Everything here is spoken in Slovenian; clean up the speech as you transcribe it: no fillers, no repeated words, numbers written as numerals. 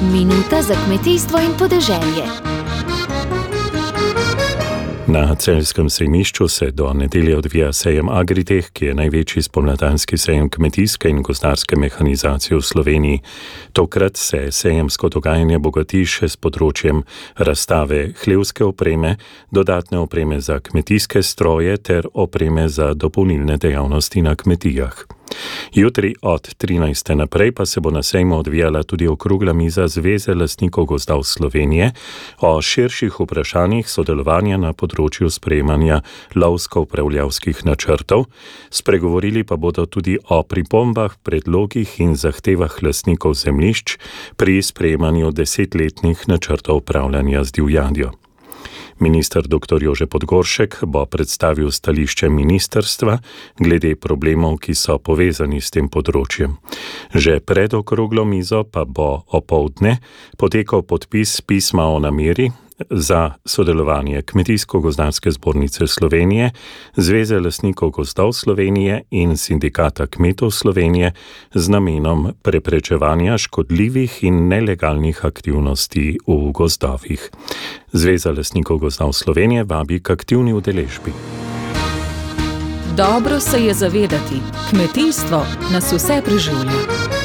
Minuta za kmetijstvo in podeželje. Na celjskem sejmišču se do nedelje odvija sejem Agritech, ki je največji spomladanski sejem kmetijske in gozdarske mehanizacije v Sloveniji. Tokrat se sejemsko dogajanje bogati še s področjem razstave hlevske opreme, dodatne opreme za kmetijske stroje ter opreme za dopolnilne dejavnosti na kmetijah. Jutri od 13. naprej pa se bo na sejmu odvijala tudi okrogla miza Zveze lastnikov gozdov Slovenije o širših vprašanjih sodelovanja na področju sprejemanja lovsko-upravljavskih načrtov. Spregovorili pa bodo tudi o pripombah, predlogih in zahtevah lastnikov zemljišč pri sprejemanju 10-letnih načrtov upravljanja z divjadjo. Minister dr. Jože Podgoršek bo predstavil stališče ministrstva glede problemov, ki so povezani s tem področjem. Že pred okroglo mizo pa bo opoldne potekal podpis pisma o nameri za sodelovanje Kmetijsko-gozdarske zbornice Slovenije, Zveze lastnikov gozdov Slovenije in Sindikata kmetov Slovenije z namenom preprečevanja škodljivih in nelegalnih aktivnosti v gozdovih. Zveza lastnikov gozdov Slovenije vabi k aktivni udeležbi. Dobro se je zavedati, kmetijstvo nas vse preživlja.